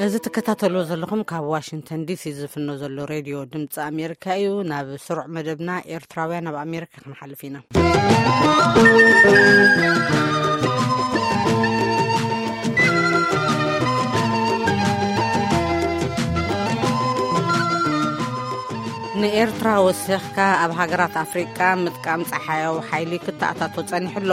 እዚ ትከታተልዎ ዘለኹም ካብ ዋሽንግተን ዲሲ ዝፍኖ ዘሎ ሬድዮ ድምፂ ኣሜሪካ እዩ። ናብ ስሩዕ መደብና ኤርትራውያን ኣብ ኣሜሪካ ክንሓልፍ ኢና። ንኤርትራ ወሲኽካ ኣብ ሃገራት ኣፍሪቃ ምጥቃም ጸሓያዊ ሓይሊ ክተኣታቶ ጸኒሑ ኣሎ።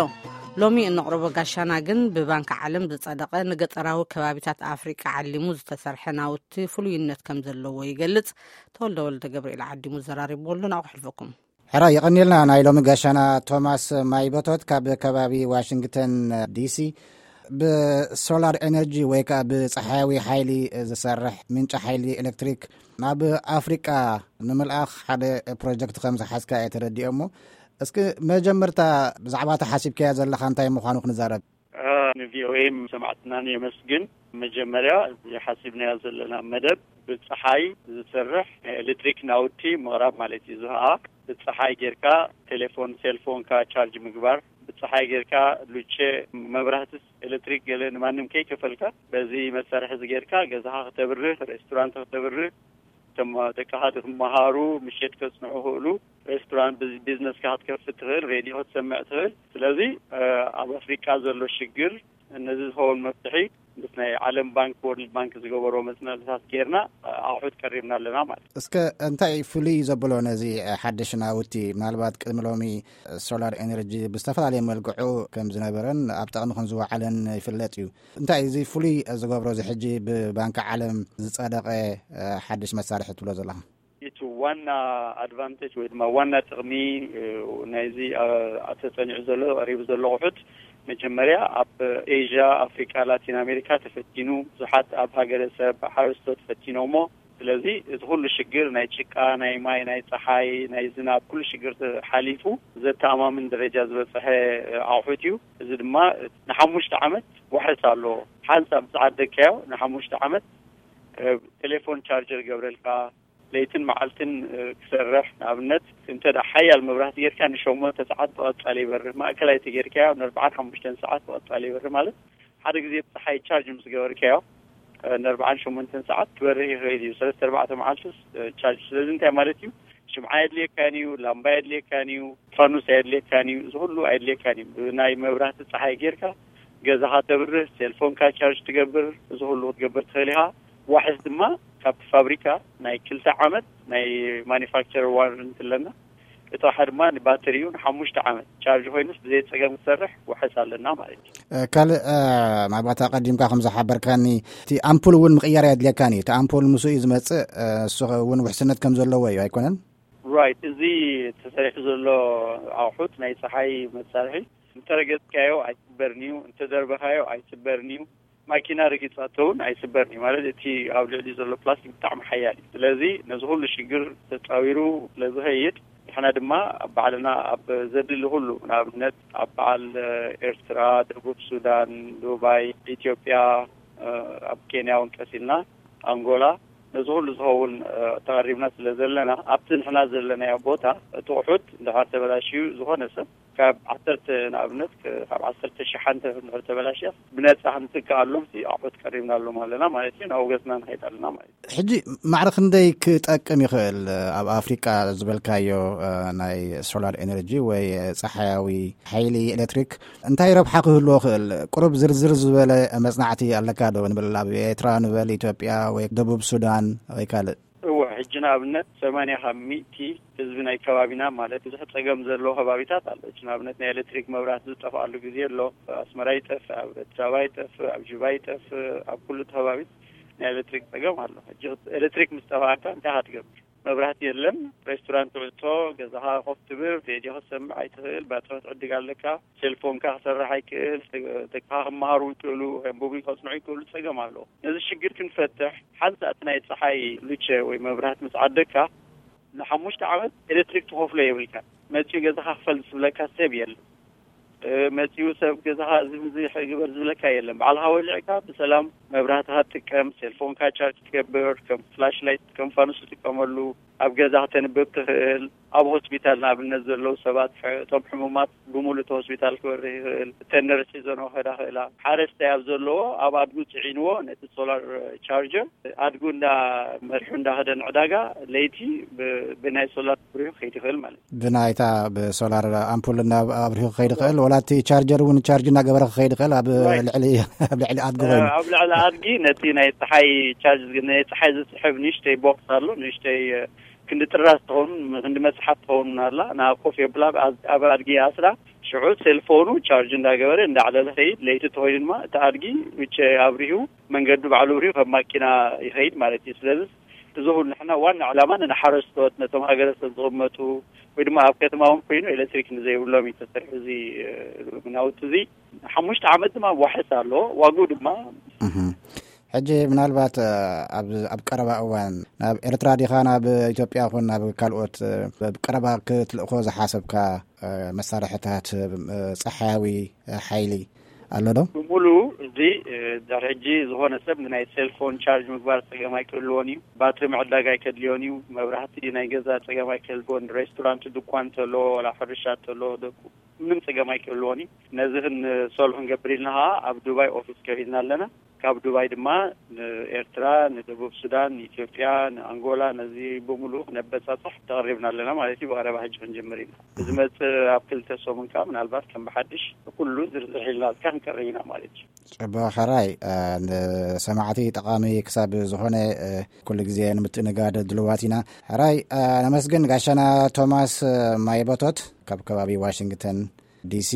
ሎሚ እንቕርቦ ጋሻና ግን ብባንክ ዓለም ዝጸደቐ ንገጠራዊ ከባቢታት ኣፍሪቃ ዓሊሙ ዝተሰርሐ ናውቲ ፍሉይነት ከም ዘለዎ ይገልጽ። ተወልደ ወልደ ገብርኤል ዓዲሙ ዘራሪብዎ ኣሎ። ናብኡ ክሕልፈኩም። ሕራ የቐንየልና። ናይ ሎሚ ጋሻና ቶማስ ማይበቶት ካብ ከባቢ ዋሽንግተን ዲሲ፣ ብሶላር ኤነርጂ ወይ ከዓ ብፀሓያዊ ሓይሊ ዝሰርሕ ምንጪ ሓይሊ ኤሌክትሪክ ናብ ኣፍሪቃ ንምልኣኽ ሓደ ፕሮጀክት ከም ዝሓዝካ እየ ተረዲኦ። እሞ እስኪ መጀመርታ ብዛዕባ እታ ሓሲብካያ ዘለኻ እንታይ ምዃኑ ክንዛረብ። ንቪኦኤ ሰማዕትናን የመስግን። መጀመርያ እዚ ሓሲብናዮ ዘለና መደብ ብፀሓይ ዝሰርሕ ናይ ኤሌክትሪክ ናውቲ ምቕራብ ማለት እዩ። እዚ ከዓ ብፀሓይ ጌርካ ቴሌፎን፣ ሴልፎንካ ቻርጅ ምግባር፣ ብፀሓይ ጌርካ ሉቼ፣ መብራህቲ፣ ኤሌክትሪክ ገለ ንማንም ከይከፈልካ በዚ መሳርሒ እዚ ጌርካ ገዛኻ ክተብርህ፣ ሬስቶራንት ክተብርህ፣ እቶም ደቅኻ ክመሃሩ፣ ምሸት ከጽንዑ ክእሉ፣ ሬስቶራንት፣ ቢዝ-፣ ቢዝነስካ ክትከፍት ትኽእል፣ ሬድዮ ክትሰምዕ ትኽእል። ስለዚ፣ እ፣ ኣብ ኣፍሪቃ ዘሎ ሽግር ነዚ ዝኸውን መፍትሒ ምስ ናይ ዓለም ባንክ፣ ወርልድ ባንክ ዝገበሮ መጽናዕትታት ጌርና፣ እ፣ ኣቑሑት ቀሪብና ኣለና ማለት እዩ። እስከ እንታይ ፍሉይ ዘብሎ ነዚ፣ እ፣ ሓድሽ ናውቲ? ምናልባት ቅድሚ ሎሚ ሶላር ኤነርጂ ብዝተፈላለየ መልክዑ ከም ዝነበረን ኣብ ጥቕሚ ከም ዝወዓለን ይፍለጥ እዩ። እንታይ እዚ ፍሉይ ዝገብሮ፣ እዚ ሕጂ ብባንኪ ዓለም ዝጸደቐ፣ እ፣ ሓድሽ መሳርሒ ትብሎ ዘለኻ? እቲ ዋና ኣድቫንቴጅ ወይ ድማ ዋና ጥቕሚ፣ እ፣ ናይዚ፣ እ፣ ተጸኒዑ ዘሎ፣ ቀሪቡ ዘሎ ኣቑሑት፣ መጀመርያ ኣብ ኤዥያ፣ ኣፍሪቃ፣ ላቲን ኣሜሪካ ተፈቲኑ፣ ብዙሓት ኣብ ሃገረሰብ ሓረስቶት ፈቲኖሞ። ስለዚ እቲ ኩሉ ሽግር ናይ ጭቃ፣ ናይ ማይ፣ ናይ ጸሓይ፣ ናይ ዝናብ፣ ኩሉ ሽግር ተሓሊፉ ዘተኣማምን ደረጃ ዝበጽሐ፣ እ፣ ኣቑሑት እዩ። እዚ ድማ ንሓሙሽተ ዓመት ዋሕስ ኣለዎ። ሓንሳብ ምስ ዓደግካዮ ንሓሙሽተ ዓመት፣ እ፣ ቴሌፎን ቻርጀር ይገብረልካ፣ ለይትን መዓልትን፣ እ፣ ክሰርሕ። ንኣብነት እንተ ደኣ ሓያል መብራህቲ ጌርካ ንሸሞንተ ሰዓት ብቐጻሊ ይበርህ፣ ማእከላይ ተጌርካዮ ንኣርብዓን ሓሙሽተን ሰዓት ብቐጻሊ ይበርህ። ማለት ሓደ ግዜ ብጸሓይ ቻርጅ ምስ ገበርካዮ፣ እ፣ ንኣርብዓን ሸሞንተን ሰዓት ክበርህ ይኽእል እዩ። ሰለስተ ኣርባዕተ መዓልትስ፣ እ፣ ቻርጅ። ስለዚ እንታይ ማለት እዩ? ሽምዓ የድልየካን እዩ፣ ላምባ የድልየካን እዩ፣ ፋኑስ ኣየድልየካን እዩ፣ እዚ ኩሉ ኣየድልየካን እዩ። ብናይ መብራህቲ ጸሓይ ጌርካ ገዛኻ ተብርህ፣ ሴልፎንካ ቻርጅ ትገብር፣ እዚ ኩሉ ክትገብር ትኽእል ኢኻ። ዋሕስ ድማ ካብቲ ፋብሪካ ናይ ክልተ ዓመት ናይ ማኒፋክቸር ዋረንቲ ኣለና። እቲ ዋሓ ድማ ንባተሪ እዩ፣ ንሓሙሽተ ዓመት ቻርጅ ኮይኑስ ብዘይ ጸገም ክሰርሕ ዋሕስ ኣለና ማለት እዩ። እ፣ ካልእ፣ እ፣ ምናልባት ኣቐዲምካ ከም ዝሓበርካኒ፣ እቲ ኣምፑል እውን ምቕያር ኣየድልየካን እዩ። እቲ ኣምፑል ምስኡ እዩ ዝመጽእ፣ እ፣ እሱ እውን ውሕስነት ከም ዘለዎ እዩ፣ ኣይኮነን? ራይት። እዚ ተሰሪሑ ዘሎ ኣቑሑት ናይ ጸሓይ መሳርሒ እንተረገጽካዮ ኣይስበርን እዩ፣ እንተደርበኻዮ ኣይስበርን እዩ። ማኪና ረጊጻቶ እውን ኣይስበርን እዩ። ማለት እቲ ኣብ ልዕሊ ዘሎ ፕላስቲክ ብጣዕሚ ሓያል እዩ። ስለዚ ነዚ ኩሉ ሽግር ተጻዊሩ ስለ ዝኸይድ፣ ንሕና ድማ ኣብ ባዕልና ኣብ ዘድሊ ኩሉ፣ ንኣብነት ኣብ በዓል ኤርትራ፣ ደቡብ ሱዳን፣ ዱባይ፣ ኢትዮጵያ፣ ኣብ ኬንያ እውን ቀሲልና፣ ኣንጎላ፣ ነዚ ኩሉ ዝኸውን ተቐሪብና ስለ ዘለና፣ ኣብቲ ንሕና ዘለናዮ ቦታ እቲ ኣቑሑት እንድሕር ተበላሽዩ፣ ዝኾነ ሰብ ካብ ዓሰርተ፣ ንኣብነት፣ ካብ ዓሰርተ ሸሓንተ እንድሕር ተበላሽያ፣ ብነጻ ክንትክኣሎም ሲ ኣቑሑት ቀሪብናሎም ኣለና ማለት እዩ። ናብ ገጽና ንኸይድ ኣለና ማለት እዩ። ሕጂ ማዕረ ክንደይ ክጠቅም ይኽእል? ኣብ ኣፍሪቃ ዝበልካዮ፣ እ፣ ናይ ሶላር ኤነርጂ ወይ ጸሓያዊ ሓይሊ ኤሌክትሪክ እንታይ ረብሓ ክህልዎ ይኽእል? ቁሩብ ዝርዝር ዝበለ መጽናዕቲ ኣለካ ዶ? ንበል ኣብ ኤርትራ፣ ንበል ኢትዮጵያ ወይ ደቡብ ሱዳን ወይ ካልእ? እወ፣ ሕጂ ንኣብነት ሰማንያ ካብ ሚእቲ ህዝቢ ናይ ከባቢና፣ ማለት ብዙሕ ጸገም ዘለዎ ከባቢታት ኣሎ። ሕጂ ንኣብነት ናይ ኤሌክትሪክ መብራህቲ ዝጠፍኣሉ ግዜ ኣሎ። ኣብ ኣስመራ ይጠፍእ፣ ኣብ ኣዲስ ኣበባ ይጠፍእ፣ ኣብ ጁባ ይጠፍእ፣ ኣብ ኩሉ እቲ ከባቢ ናይ ኤሌክትሪክ ጸገም ኣሎ። ሕጂ ኤሌክትሪክ ምስ ጠፍኣካ እንታይ ኢኻ ትገብር? መብራህቲ የለን፣ ሬስቶራንት ትዕጾ፣ ገዛኻ ኮፍ ትብል፣ ሬድዮ ክትሰምዕ ኣይትኽእል፣ ባትሪ ክትዕድግ ኣለካ፣ ሴልፎንካ ክሰርሕ ኣይክእል፣ ደቅኻ ክመሃሩ ይክእሉ፣ ከንብቡ ከጽንዑ ይክእሉ፣ ጸገም ኣለዎ። ነዚ ሽግር ክንፈትሕ፣ ሓንሳእ እቲ ናይ ጸሓይ ሉቸ ወይ መብራህቲ ምስ ዓደግካ፣ ንሓሙሽተ ዓመት ኤሌክትሪክ ትኸፍሎ የብልካ። መጺኡ ገዛኻ ክፈል ዝብለካ ሰብ የለን። እ፣ መጺኡ ሰብ ገዛኻ እዚ ምዚ ግበር ዝብለካ የለን። ባዕልኻ ወሊዕካ ብሰላም መብራህትኻ ትጥቀም፣ ሴልፎንካ ቻርጅ ትገብር፣ ከም ፍላሽ ላይት፣ ከም ፋኑስ ትጥቀመሉ፣ ኣብ ገዛ ክተንብብ ትኽእል። ኣብ ሆስፒታል ንኣብነት ዘለዉ ሰባት፣ ሕ- እቶም ሕሙማት ብምሉእ እቲ ሆስፒታል ክበርህ ይኽእል። እተን ነርስ ሒዘንኦ ክኸዳ ይኽእላ። ሓረስታይ ኣብ ዘለዎ ኣብ ኣድጉ ጽዒንዎ ነቲ ሶላር ቻርጀር ኣድጉ እንዳ መርሑ እንዳኸደ ንዕዳጋ ለይቲ ብ- ብናይ ሶላር ኣብሪሁ ክኸይድ ይኽእል ማለት እዩ። ብናይታ ብሶላር ኣምፑል እና ኣብሪሁ ክኸይድ ይኽእል፣ ወላ እቲ ቻርጀር እውን ቻርጅ እናገበረ ክኸይድ ይኽእል። ኣብ Right. ልዕሊ ኣብ ልዕሊ ኣድጉ ኮይኑ ኣብ ልዕሊ ኣድጊ ነቲ ናይ ፀሓይ ቻርጅ ናይ ፀሓይ ዝስሕብ ንእሽተይ ቦክስ ኣሎ። ንእሽተይ ክንዲ ጥራዝ ትኸውን ክንዲ መፅሓፍ ትኸውን ኣላ። ንኣ ኮፍ የብላ ኣብ ኣድጊ ኣስራ ሽዑ ሴልፎኑ ቻርጅ እንዳገበረ እንዳዕለለ ኸይድ። ለይቲ ተኾይኑ ድማ እቲ ኣድጊ ውጭ ኣብሪሁ መንገዱ ባዕሉ ኣብሪሁ ከም ማኪና ይኸይድ ማለት እዩ። ስለዚ እዚ ሁሉ ንሕና ዋና ዕላማ ንሓረስቶት ነቶም ሃገረሰብ ዝቕመጡ ወይ ድማ ኣብ ከተማ እውን ኮይኑ ኤሌክትሪክ ንዘይብሎም እዩ ተሰሪሑ እዚ ናውቲ እዚ። ሓሙሽተ ዓመት ድማ ዋሕስ ኣሎ። ዋግኡ ድማ ሕጂ ምናልባት ኣብ ቀረባ እዋን ናብ ኤርትራ ዲኻ ናብ ኢትዮጵያ ኹን ናብ ካልኦት ኣብ ቀረባ ክትልእኮ ዝሓሰብካ መሳርሕታት ጸሓያዊ ሓይሊ ኣሎ ዶ? ብሙሉ እዚ ድሕሪ ሕጂ ዝኾነ ሰብ ንናይ ሴልፎን ቻርጅ ምግባር ጸገም ኣይክህልዎን እዩ። ባትሪ ምዕዳግ ኣይከድልዮን እዩ። መብራህቲ ናይ ገዛ ጸገም ኣይክህልዎን። ሬስቶራንት፣ ድኳን እንተሎ፣ ወላ ሕርሻ እንተሎ፣ ደቁ ምንም ጸገም ኣይክህልዎን እዩ። ነዚ ክንሰሉ ክንገብር ኢልና ኸዓ ኣብ ዱባይ ኦፊስ ከፊትና ኣለና። ካብ ዱባይ ድማ ንኤርትራ፣ ንደቡብ ሱዳን፣ ንኢትዮጵያ፣ ንኣንጎላ፣ ነዚ ብምሉእ ክነበጻጽሕ ተቐሪብና ኣለና ማለት እዩ። ብቐረባ ሕጂ ክንጅምር ኢና። ብዝመጽእ ኣብ ክልተ ሰሙን ከኣ ምናልባት ከም ብሓድሽ ኩሉ ዝርዝር ሒዝናልካ ክንቀርብ ኢና ማለት እዩ። ጽቡቕ ሕራይ፣ ንሰማዕቲ ጠቓሚ ክሳብ ዝኾነ ኩሉ ግዜ ንምትእንጋድ ድልዋት ኢና። ሕራይ ነመስግን ጋሻና ቶማስ ማይቦቶት ካብ ከባቢ ዋሽንግተን ዲሲ።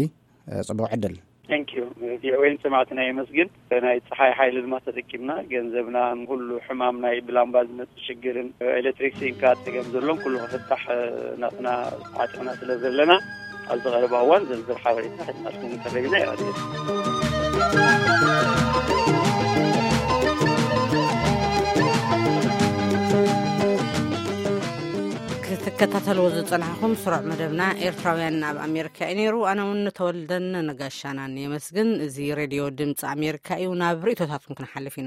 ጽቡቕ ዕድል። Thank you። ቪኦኤን ሰማዕትና የመስግን። ናይ ፀሓይ ሓይሊ ድማ ተጠቂምና ገንዘብና ንኩሉ ሕማም ናይ ብላምባ ዝመፅእ ሽግርን ኤሌክትሪክ ሲንካ ፀገም ዘሎን ኩሉ ክፍታሕ ናትና ዓጢቕና ስለ ዘለና ኣብዚ ቀረባ እዋን ዝርዝር ሓበሬታ ሒዝናልኩም ክንቀርብ ኢና። ይቐድም። ክትከታተልዎ ዝጸናሕኹም ስሩዕ መደብና ኤርትራውያን ኣብ ኣሜሪካ እዩ ነይሩ። ኣነ እውን ንተወልደን ንጋሻናን የመስግን። እዚ ሬድዮ ድምፂ ኣሜሪካ እዩ። ናብ ርእይቶታትኩም ክንሓልፍ ኢና።